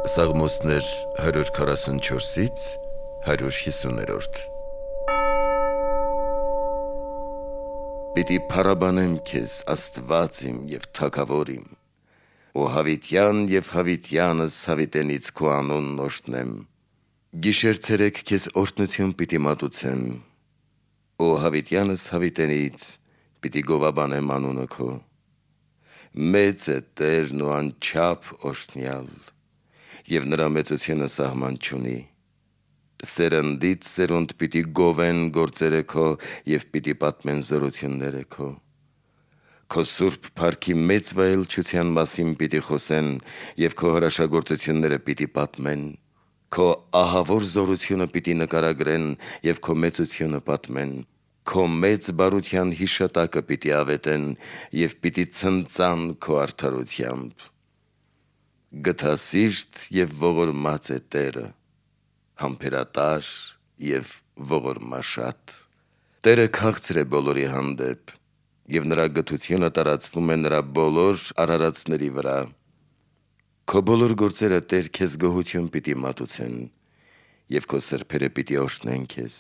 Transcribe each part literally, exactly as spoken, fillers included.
Սաղմոսներ հարյուր քառասունչորսից հարյուր հիսուներորդ Պիտի փառաբանեմ քեզ, Աստված իմ և Թագավոր իմ, ու հավիտյան և հավիտյանս հավիտենից քո անունն օրհնեմ, գիշեր ցերեկ քեզ օրհնություն պիտի մատուցեմ, ու հավիտյանս հավիտենից պիտի գովաբանեմ անունը քո, մեծ է Տերն ու անչափ օրհնյալ, և նրա մեծությունը սահման չունի, սերնդից սերունդ պիտի գովեն գործերը քո և պիտի պատմեն զորությունները քո, քո սուրբ փառքի մեծ վայելչության մասին պիտի խոսեն և քո հրաշագործությունները պիտի պատմեն, քո ահավոր զորությունը պիտի նկարագրեն և քո մեծությունը պատմեն, քո մեծ բարության հիշատակը պիտի ավետեն և պիտի ցնծան քո արդարությամբ, գթասիրտ և ողորմած է Տերը, համբերատար և ողորմաշատ, Տերը քաղցր է բոլորի հանդեպ, և նրա գթությունը տարածվում է նրա բոլոր արարածների վրա, քո բոլոր գործերը Տեր քեզ գոհություն պիտի մատուցեն, և քո սրբերը պիտի օրհնեն քեզ,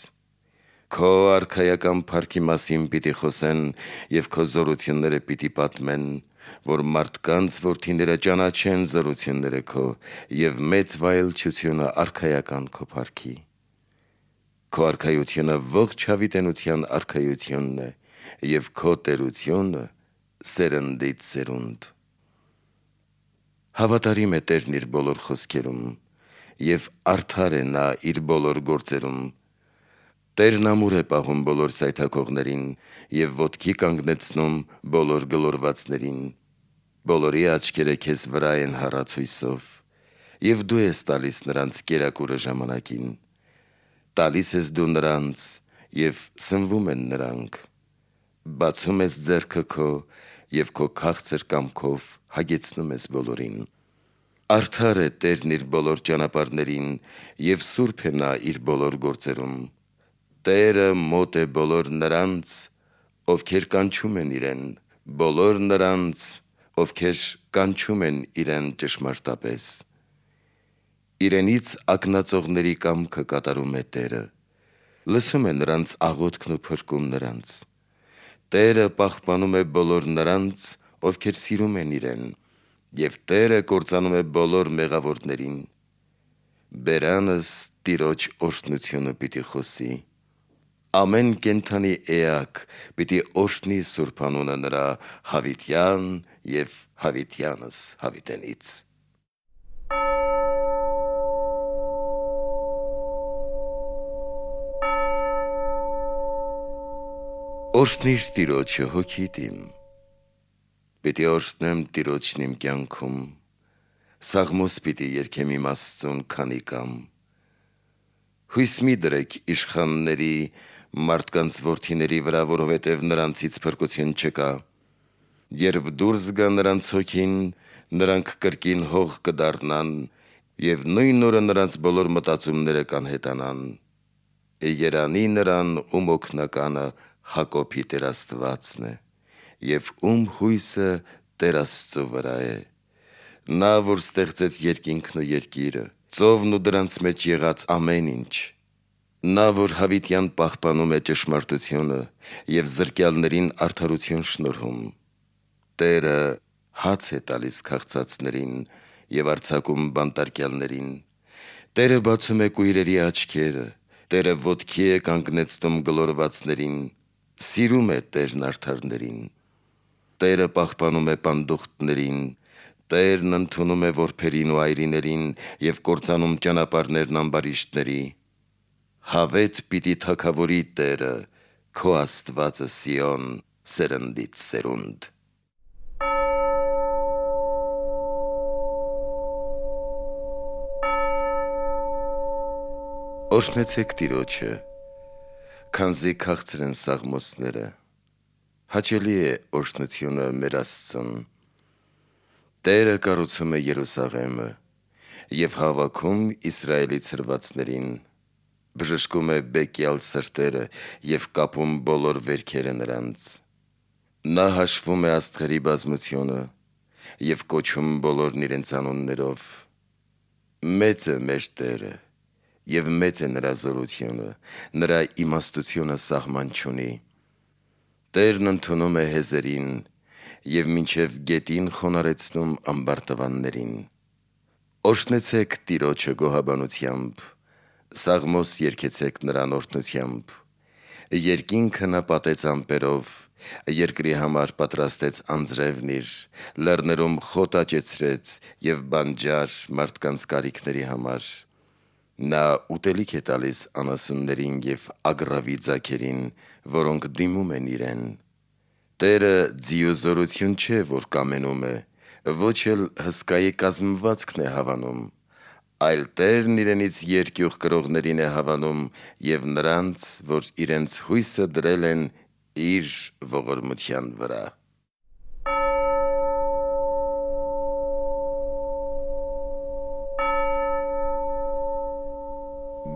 քո արքայական փառքի մասին պիտի խոսեն և քո զորությունները պիտի պատմեն, որ մարդկանց որդիները ճանաչեն զորությունները քո և մեծ վայելչությունը արքայական քո փառքի, քո արքայությունը ողջ հավիտենության արքայությունն է և քո տերությունը սերնդից սերունդ, հավատարիմ է Տերն իր բոլոր խոսքերում և արդար է նա իր բոլոր գործերում, Տերն ամուր է պահում բոլոր սայթաքողներին և ոտքի կանգնեցնում բոլոր գլորվածներին, բոլորի աչքերը քեզ վրա են հառացույցով, և դու ես տալիս նրանց կերակուրը ժամանակին, տալիս ես դու նրանց և սնվում են նրանք, բացում ես ձեռքը քո և քո քաղցր կամքով հագեցնում ես բոլորին, արդար է Տերն իր բոլոր ճանապարհներին և սուրբ է նա իր բոլոր գործերում, Տերը մոտ է բոլոր նրանց, ովքեր կանչում են իրեն, բոլոր նրանց, ովքեր կանչում են իրեն ճշմարտապես, իրենից ակնածողների կամքը կատարում է Տերը, լսում է նրանց աղոթքն ու փրկում նրանց, Տերը պահպանում է բոլոր նրանց, ովքեր սիրում են իրեն, և Տերը կործանում է բոլոր մեղավորներին, բերանս Տիրոջ օրհնությունը պիտի խոսի, ամեն կենդանի էակ պիտի օրհնի սուրբ անունը նրա հավիտյան և հավիտյանս հավիտենից, Օրհնի՛ր Տիրոջը հոգիդ իմ, պիտի օրհնեմ Տիրոջն իմ կյանքում, սաղմոս պիտի երգեմ իմ Աստծուն քանի կամ, հույս մի դրեք իշխանների, մարդկանց որդիների վրա, որովհետև նրանցից փրկություն չկա, երբ դուրս գա նրանց հոգին, նրանք կրկին հող կդառնան, և նույն օրը նրանց բոլոր մտածումները կանհետանան, երանի նրան, ում օգնականը Հակոբի Տեր Աստվածն է, և ում հույսը Տեր Աստծու վրա է, նա, որ ստեղծեց երկինքն ու երկիրը, ծովն ու դրանց մեջ եղած ամեն ինչ, նա, որ հավիտյան պահպանում է ճշմարտությունը և զրկյալներին արդարություն շնորհում, Տերը հաց է տալիս քաղցածներին և արձակում բանտարկյալներին, Տերը բացում է կույրերի աչքերը, Տերը ոտքի է կանգնեցնում գլորվածներին, սիրում է Տերն արդարներին, Տերը պահպանում է պանդուխտներին, Տերն ընդունում է որբերին ու այրիներին և կործանում ճանապարհներն ամբարիշտների, հավետ պիտի թագավորի Տերը, քո Աստվածը Սիոն, սերնդից սերունդ, Օրհնեցեք Տիրոջը, քանզի քաղցր են սաղմոսները, հաճելի է օրհնությունը մեր Աստծուն, Տերը կառուցում է Երուսաղեմը և հավաքում Իսրայելի ցրվածներին, բժշկում է բեկյալ սրտերը և կապում բոլոր վերքերը նրանց, նա հաշվում է աստղերի բազմությունը և կոչում բոլորն իրենց անուններով, Մեծ է մեր Տերը, և մեծ է նրա զորությունը, նրա իմաստությունը սահման չունի։ Տերն ընդունում է հեզերին և մինչև գետին խոնարեցնում ամբարտավաններին։ Օրհնեցեք Տիրոջը գոհաբանությամբ, Սաղմոս երգեցեք նրան օրհնությամբ։ Երկինքը նա պատեց ամպերով, երկրի համար պատրաստեց անձրևն իր, լեռներում խոտ աճեցրեց և բանջար մարդկանց կարիքների համար։ Նա ուտելիք է տալիս անասուններին և ագռավի ձագերին, որոնք դիմում են իրեն։ Տերը ձիուզորություն չէ, որ կամենում է, ոչ էլ հսկայի կազմվածքն է հավանում, այլ Տերն իրենից երկյուղ կրողներին է հավանում և նրանց, որ իրենց հույսը դրել են իր ողորմության վրա։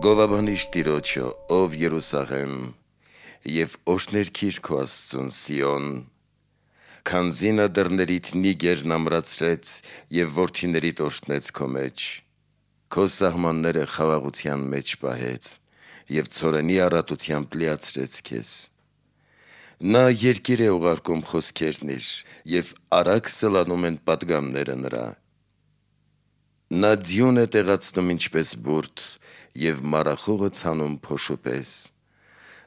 Գովաբանիր Տիրոջը, ով Երուսաղեմ, և օրհներգիր քո Աստծուն Սիոն, քանզի նա դռներիդ նիգերն ամրացրեց և որդիներիդ օրհնեց քո մեջ, քո սահմանները խաղաղության մեջ պահեց և ցորենի առատությամբ լիացրեց քեզ։ Նա երկիր է ուղարկում խոսքերն իր, և արագ սլանում են պատգամները նրա։ Նա ձյուն է տեղացնում ինչպես բուրդ և մառախուղը ցանում փոշու պես։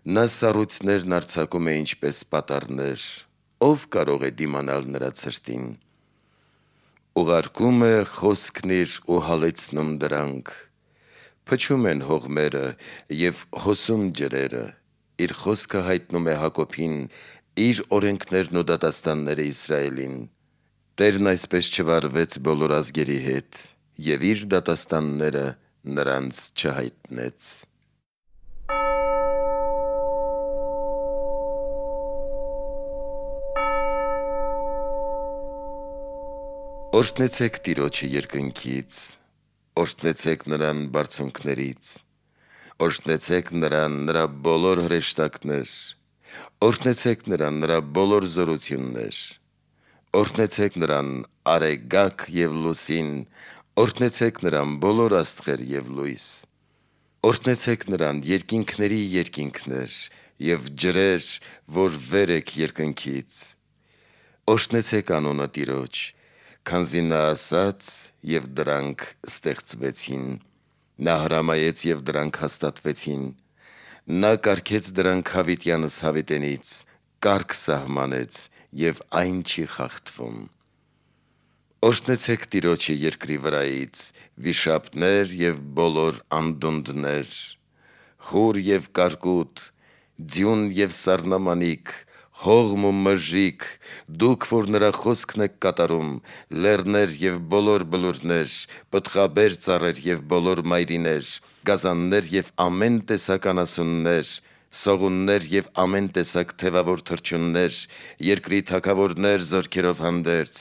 Նա սառույցներն արձակում է ինչպես պատառներ, ո՞վ կարող է դիմանալ նրա ցրտին։ Ուղարկում է խոսքն իր ու հալեցնում դրանք, փչում են հողմերը և հոսում ջրերը, իր խոսքը հայտնում է Հակոբին, իր օրենքներն ու դատաստանները Իսրայելին։ Տերն այսպես չվարվեց բոլոր ազգերի հետ և իր դատաստանները նրանց չհայտնեց։ Օրհնեցեք Տիրոջը երկնքից, օրհնեցեք նրան բարձունքներից, օրհնեցեք նրան նրա բոլոր հրեշտակներ, օրհնեցեք նրան նրա բոլոր զորություններ, օրհնեցեք նրան արեգակ և լուսին, օրհնեցեք նրան բոլոր աստղեր և լույս, օրհնեցեք նրան երկինքների երկինքներ և ջրեր, որ վեր եք երկնքից, օրհնեցեք անունը Տիրոջ, քանզի նա ասաց, և դրանք ստեղծվեցին, նա հրամայեց և դրանք հաստատվեցին, նա կարգեց դրանք հավիտյանս հավիտենից, կարգ սահմանեց և այն չի խախտվում։ Օրհնեցեք Տիրոջը երկրի վրայից, վիշապներ և բոլոր անդունդներ, խուր և կարկուտ, ձյուն և սառնամանիք, հողմ ու մժիկ, դուք, որ նրա խոսքն եք կատարում, լեռներ և բոլոր բլուրներ, պտղաբեր ծառեր և բոլոր մայրիներ, գազաններ և ամեն տեսակ անասուններ, սողուններ և ամեն տեսակ թևավոր թռչուններ, երկրի թագավորներ զորքերով հանդերձ,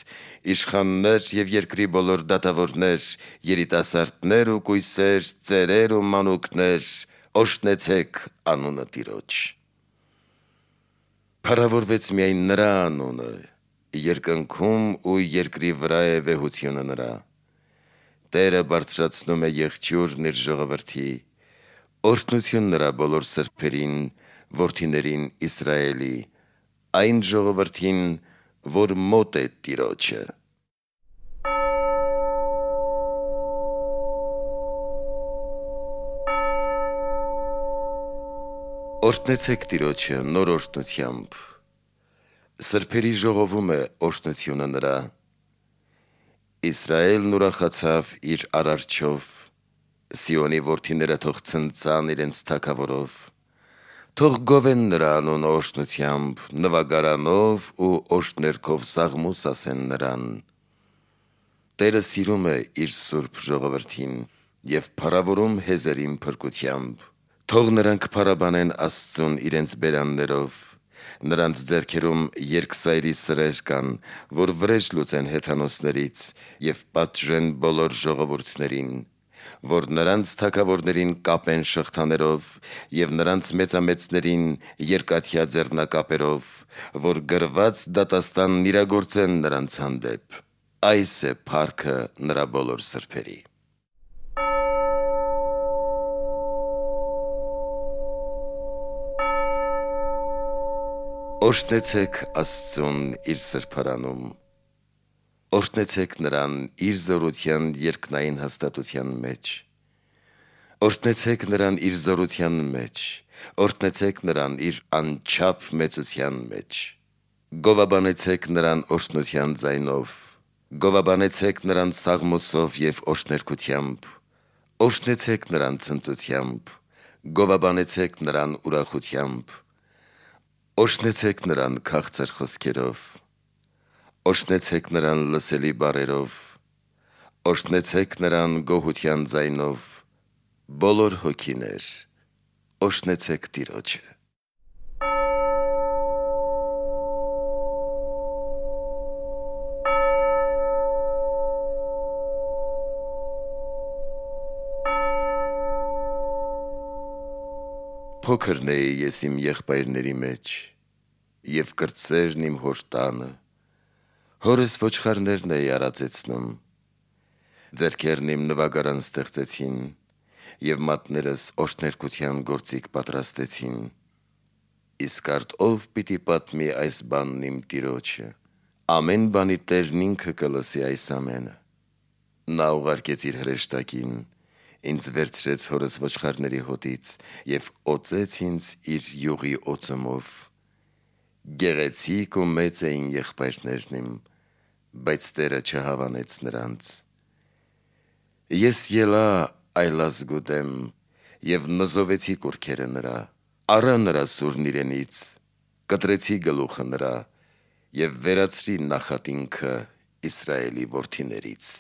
իշխաններ և երկրի բոլոր դատավորներ, երիտասարդներ ու կույսեր, ծերեր ու մանուկներ, օրհնեցեք անունը Տիրոջ։ Փառավորվեց միայն նրա անունը, երկնքում ու երկրի վրա է վեհությունը նրա։ Տերը բարձրացնում է եղջյուրն իր ժողովրդի, օրհնություն նրա բոլոր սրբերին, որդիներին Իսրայելի, այն ժողովրդին, որ մոտ է Տիրոջը։ Օրհնեցեք Տիրոջը նոր օրհնությամբ, սրբերի ժողովում է օրհնությունը նրա։ Իսրայելն ուրախացավ իր Արարչով, Սիոնի որդիները թող ցնծան իրենց Թագավորով, թող գովեն նրա անունը օրհնությամբ, նվագարանով ու օրհներգով սաղմոս ասեն նրան։ Տերը սիրում է իր սուրբ ժողովրդին և փառավորում հեզերին փրկությամբ։ Թող նրանք փառաբանեն Աստծուն իրենց բերաններով, նրանց ձեռքերում երկսայրի սրեր կան, որ վրեժ լուծեն հեթանոսներից և պատժեն բոլոր ժողովուրդներին, որ նրանց թագավորներին կապեն շղթաներով և նրանց մեծամեծներին երկաթյա ձեռնակապերով, որ գրված դատաստանն իրագործեն նրանց հանդեպ։ Այս է փառքը նրա բոլոր սրբերի։ Օրհնեցեք Աստծուն իր սրբարանում, օրհնեցեք նրան իր զորության երկնային հաստատության մեջ, օրհնեցեք նրան իր զորության մեջ, օրհնեցեք նրան իր անչափ մեծության մեջ, գովաբանեցեք նրան օրհնության ձայնով, գովաբանեցեք նրան սաղմոսով և օրհներգությամբ, օրհնեցեք նրան ցնծությամբ, գովաբանեցեք նրան ուրախությամբ, օրհնեցեք նրան քաղցր խոսքերով, օրհնեցեք նրան լսելի բառերով, օրհնեցեք նրան գոհության ձայնով, բոլոր հոգիներ, օրհնեցեք Տիրոջը։ Փոքրն էի ես իմ եղբայրների մեջ, և կրտսերն իմ հոր տանը, հորս ոչխարներն էի արածեցնում, ձեռքերն իմ նվագարան ստեղծեցին, և մատներս օրհներգության գործիք պատրաստեցին, իսկ արդ ով պիտի պատմի այս բանն իմ Տիրոջը, ամեն բանի Տերն ինքը կլսի այս ամենը։ Նա ուղարկեց իր հրեշտակին, ինձ վերցրեց հորս ոչխարների հոտից և օծեց ինձ իր յուղի օծումով, գեղեցիկ ու մեծ էին եղբայրներն իմ, բայց Տերը չհավանեց նրանց։ Ես ելա այլազգու դեմ և նզովեցի կուռքերը նրա, առա նրա սուրն իրենից, կտրեցի գլուխը նրա և վերացրի նախատինքը Իսրայելի որդիներից։